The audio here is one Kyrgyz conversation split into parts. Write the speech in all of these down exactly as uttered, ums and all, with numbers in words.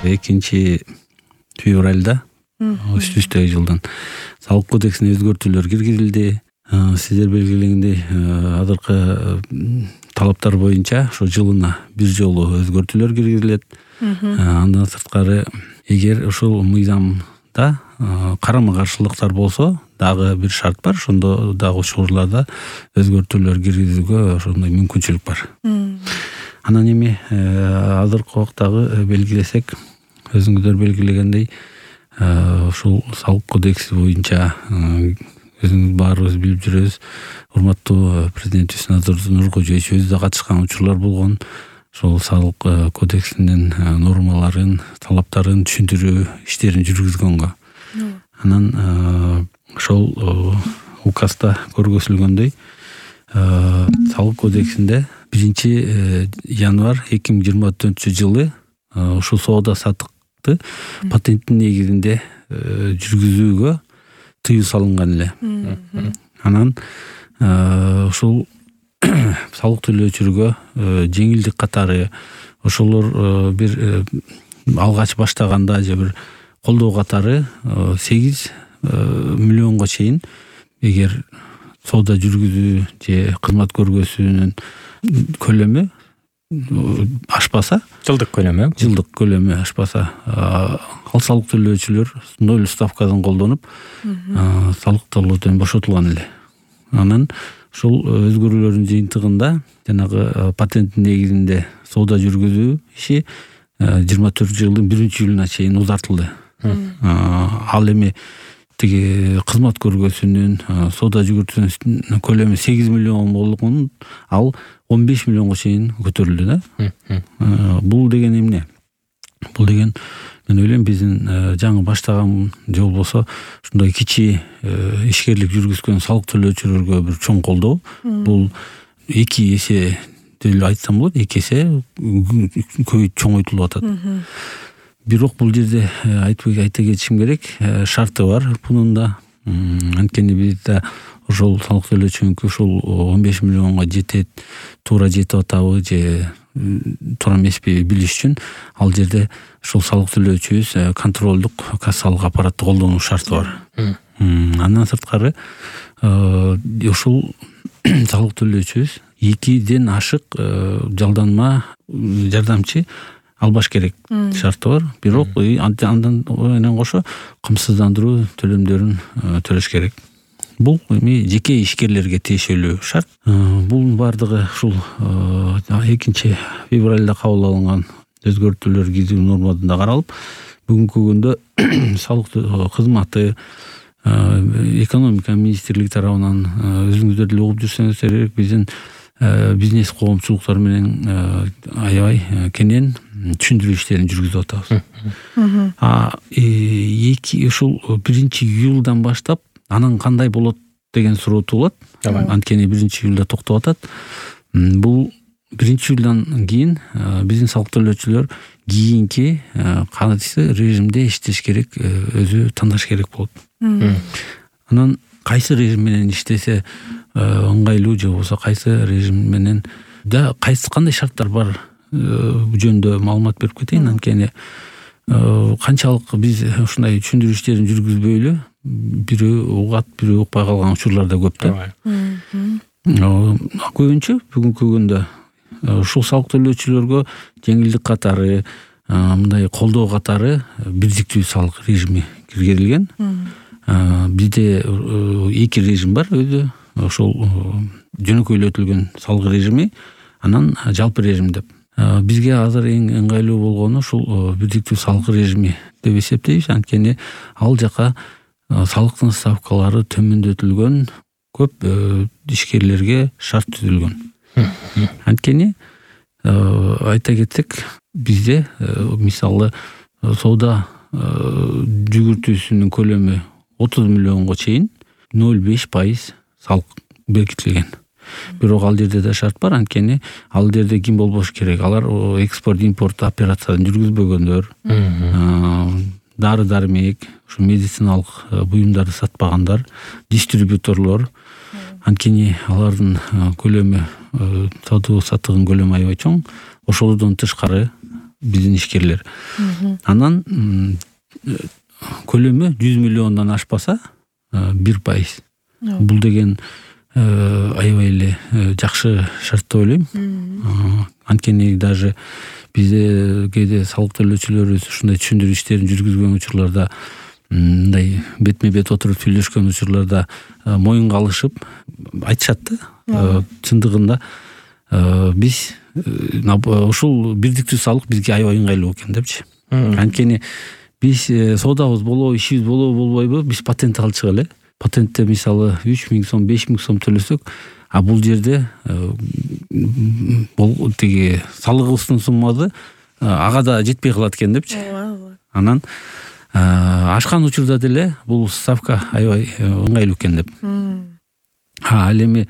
экинчи февралда үстү-үстөй жылдын салык кодексине өзгөртүүлөр киргизилди. Сиздер белгилегендей азыркы талаптар боюнча ошо жылына бир жолу өзгөртүүлөр киргизилет. Андан сырткары эгер ушул мыйзамда карама каршылыктар болсо дагы бир шарт бар, ошондо дагы учурларда өзгөртүүлөр киргизүүгө ошондой мүмкүнчүлүк бар. Анан эми азыркы убактагы белгилесек, өзүңүздөр белгилегендей ушул салык кодекси боюнча өзүңүз баарыбыз билип жүрөбүз, урматтуу президентибиз Назыр Нуркожоевич өзү да катышкан учурлар болгон. Ошол салык кодексинин нормаларын, талаптарын түшүндүрүү иштерин жүргүзгөнгө. Анан ошол указда көргөзүлгөндөй салык кодексинде биринчи январь эки миң жыйырма төртүнчү жылы ушул соода саттыкты патенттин негизинде жүргүзүүгө тыюу салынган эле. Анан ушул салык төлөөчүлөргө жеңилдик катары ошолор бир алгач баштаганда же бир колдоо катары сегиз миллионго чейин эгер соода жүргүзүү же кызмат көргөзүүнүн көлөмү ашпаса, жылдык көлөмү жылдык көлөмү ашпаса, ал салык төлөөчүлөр ноль ставкадан колдонуп салык төлөөдөн бошотулган эле. Анан ушул өзгөрүүлөрдүн жыйынтыгында жанагы патенттин негизинде соода жүргүзүү иши жыйырма төртүнчү жылдын биринчи июлуна чейин узартылды. Ал эми тиги кызмат көргөзүүнүн, соода жүгүртүүнүн көлөмү сегиз миллион болгон, ал он беш миллионго чейин көтөрүлдү да. Бул деген эмне? Бул деген мен ойлойм биздин жаңы баштаган же болбосо ушундай кичи ишкерлик жүргүзгөн салык төлөөчүлөргө бир чоң колдоо. Бул эки эсе деп айтсам болот, эки эсе көбөйүп чоңойтулуп атат. Бирок бул жерде айтып айта кетишим керек, шарты бар бунун да. Анткени бизде ошол салык төлөөчүнүкү ушул он беш миллионго жетет, туура жетип атабы же туура эмеспи билиш үчүн ал жерде ушул салык төлөөчүбүз контролдук кассалык аппаратты колдонуу шарты бар. Андан сырткары ушул салык төлөөчүбүз экиден ашык жалданма жардамчы албаш керек шарты бар. Бирок андан менен кошо камсыздандыруу төлөмдөрүн төлөш керек. Бул эми жеке ишкерлерге тиешелүү шарт. Бул бардыгы ушул экинчи февралда кабыл алынган өзгөртүүлөр киргизүү нормасында каралып, бүгүнкү күндө салык кызматы экономика министрлиги тарабынан өзүңүздөр деле угуп жүрсөңүздөр керек, биздин бизнес коомчулуктар менен аябай кенен түшүндүрүү иштерин жүргүзүп атабыз. А эки ушул биринчи июлдан баштап анан кандай болот деген суроо туулат. Анткени биринчи июлда токтоп атат. Бул биринчи июлдан кийин биздин салык төлөөчүлөр кийинки кайсы режимде иштеш керек өзү тандаш керек болот. Анан кайсы режим менен иштесе ыңгайлуу же болбосо кайсы режим менен да кайсы кандай шарттар бар бул жөнүндө маалымат берип кетейин. Анткени канчалык биз ушундай түшүндүрүү иштерин жүргүзбөйлү бирөө угат, бирөө укпай калган учурлар да көп да. Көбүнчө бүгүнкү күндө ушул салык төлөөчүлөргө жеңилдик катары, мындай колдоо катары бирдиктүү салык режими киргизилген. Бизде эки режим бар өзү. Ошол жөнөкөйлөтүлгөн салык режими, анан жалпы режим деп. Бизге азыр эң ыңгайлуу болгону ушул бирдиктүү салык режими деп эсептейбиз. Анткени ал жака салыктын ставкалары төмөндөтүлгөн, көп ишкерлерге шарт түзүлгөн. Анткени айта кетсек, бизде мисалы соода жүгүртүүсүнүн көлөмү отуз миллионго чейин ноль беш пайыз салык бекитилген. Бирок ал жерде да шарт бар. Анткени ал жерде ким болбош керек? Алар экспорт, импорт операциясын жүргүзбөгөндөр, дары-дармек, ушу медициналык буюмдарды сатпагандар, дистрибьюторлор. Анткени алардын көлөмү, сатуу саттыгын көлөмү аябай чоң. Ошолордон тышкары биздин ишкерлер. Анан көлөмү жүз миллиондон ашпаса бир пайыз. Бул деген аябай эле жакшы шарт деп ойлойм. Анткени даже бизде кээде салык төлөөчүлөрүбүз ушундай түшүндүрүү иштерин жүргүзгөн учурларда, мындай бетме бет отуруп сүйлөшкөн учурларда моюнга алышып айтышат да. Чындыгында биз ушул бирдиктүү салык бизге аябай ыңгайлуу экен депчи. Анткени биз соодабыз болобу, ишибиз болобу болбойбу, биз патент алчык эле. Патентте мисалы үч миң сом, беш миң сом төлөсөк, а бул жерде бул тиги салыгыбыздын суммасы ага да жетпей калат экен депчи. Анан ашкан учурда деле бул ставка аябай ыңгайлуу экен деп. А ал эми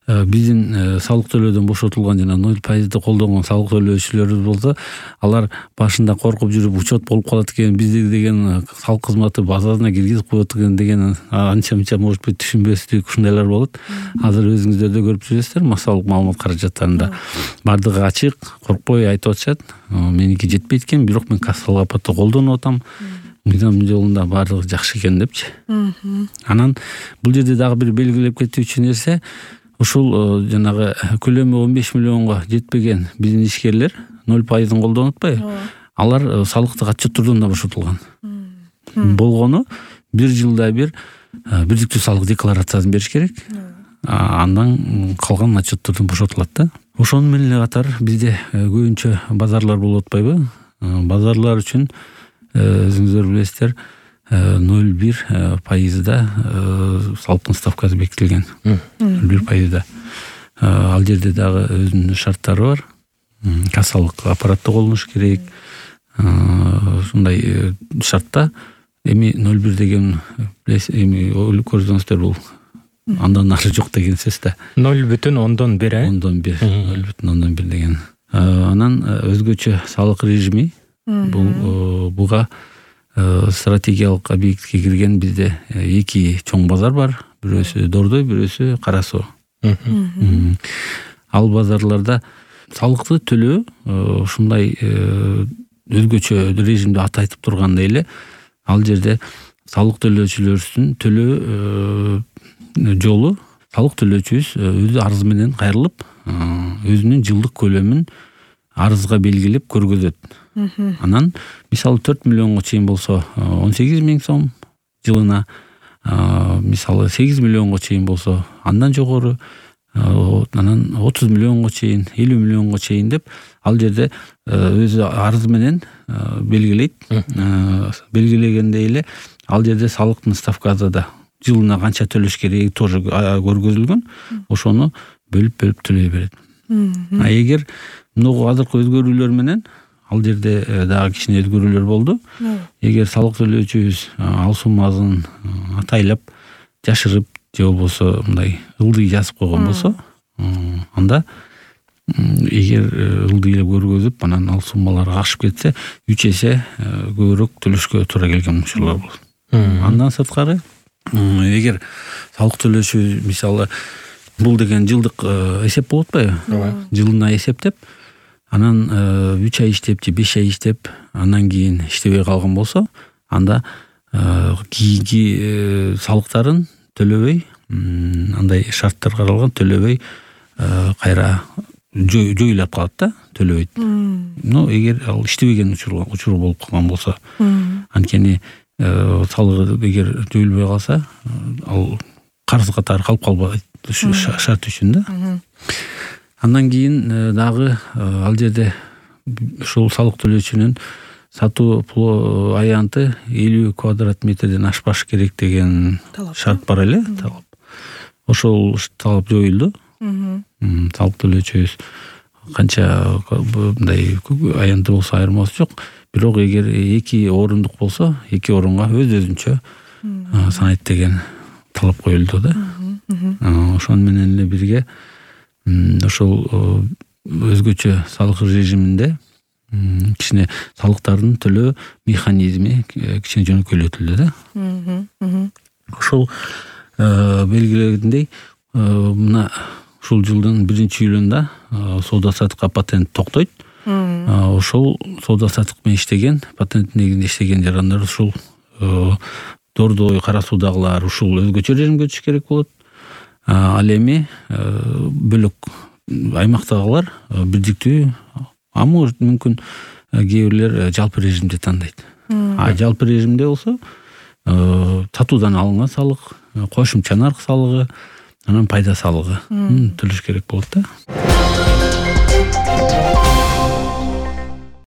биздин салык төлөөдөн бошотулган жана ноль пайызды колдонгон салык төлөөчүлөрүбүз болсо, алар башында коркуп жүрүп учет болуп калат экен, бизде деген салык кызматы базасына киргизип коет экен деген анча мынча может быть түшүнбөстүк ушундайлар болот. Азыр өзүңүздөр да көрүп жүрөсүздөр, массалык маалымат каражаттарында бардыгы ачык, коркпой айтып атышат. Меники жетпейт экен, бирок мен кассалык аппатты колдонуп атам. Мыйзам жолунда бардыгы жакшы экен депчи. Анан бул жерде дагы бир белгилеп кетүүчү нерсе, ушул жанагы көлөмү он беш миллионго жетпеген биздин ишкерлер ноль пайыздын колдонуп атпайбы? Алар салыктык отчеттордон да бошотулган. Болгону бир жылда бир бирдиктүү салык декларациясын бериш керек. Андан калган отчеттордон бошотулат да. Ошону менен эле катар бизде көбүнчө базарлар болуп атпайбы? Базарлар үчүн өзүңүздөр билесиздер, ноль бир пайызда салыктын ставкасы бекитилген. ноль бир пайызда. Ал жерде дагы өзүнүн шарттары бар. Кассалык аппаратты колдонуш керек. Ушундай шартта эми ноль бир деген эми көрсөңүздөр бул андан ары жок деген сөз да. ноль бүтүн ондон бир, э? ондон бир, ноль бүтүн ондон бир деген. Анан өзгөчө салык режими бул буга стратегиялык объектке кирген бизде эки чоң базар бар. Бирөөсү Дордой, бирөөсү Кара Суу. Ал базарларда салыкты төлөө ушундай өзгөчө режимде аты айтып тургандай эле, ал жерде салык төлөөчүлөрдүн төлөө жолу салык төлөөчүбүз өзү арыз менен кайрылып, өзүнүн жылдык көлөмүн арызга белгилеп көргөзөт. Анан мисалы төрт миллионго чейин болсо он сегиз миң сом жылына, мисалы сегиз миллионго чейин болсо андан жогору, анан отуз миллионго чейин, элүү миллионго чейин деп ал жерде өзү арыз менен белгилейт. Белгилегендей эле ал жерде салыктын ставкасы да жылына канча төлөш кереги тоже көргөзүлгөн. Ошону бөлүп-бөлүп төлөй берет. А эгер мынагу азыркы өзгөрүүлөр менен ал жерде дагы кичине өзгөрүүлөр болду. Эгер салык төлөөчүбүз ал суммасын атайлап жашырып же болбосо мындай ылдый жазып койгон болсо, анда эгер ылдый эле көргөзүп, анан ал суммалар ашып кетсе, үч эсе көбүрөөк төлөшкө туура келген учурлар болот. Андан сырткары, эгер салык төлөөчү мисалы бул деген жылдык эсеп болуп атпайбы? Жылына эсептеп, анан үч ай иштеп же беш ай иштеп, андан кийин иштебей калган болсо, анда кийинки салыктарын төлөбөй, андай шарттар каралган, төлөбөй кайра жоюлуп калат да, төлөбөйт. Но эгер ал иштебеген учур болуп калган болсо, анткени салыгы эгер жоюлбой калса, ал карыз катары калып калбайт шарт үчүн да. Андан кийин дагы ал жерде ушул салык төлөөчүнүн сатуу аянты элүү квадрат метрден ашпаш керек деген шарт бар эле, талап. Ошол талап жоюлду. Салык төлөөчүбүз канча мындай аянты болсо айырмасы жок. Бирок эгер эки орундук болсо, эки орунга өз-өзүнчө санайт деген талап коюлду да. Ошону менен эле бирге ошол өзгөчө салык режиминде кичине салыктардын төлөө механизми кичине жөнөкөйлөтүлдү да. Ошол белгилегендей, мына ушул жылдын биринчи июлунда соода саттыкка патент токтойт. ошол соода саттык менен иштеген, патент негизинде иштеген жарандар ушул дордой, кара суудагылар ушул өзгөчө режимге өтүш керек болот. Ал эми бөлөк аймактагылар бирдиктүү, а может мүмкүн кээ бирлер жалпы режимди тандайт. А жалпы режимде болсо сатуудан алынган салык, кошумча нарк салыгы, анан пайда салыгы төлөш керек болот да.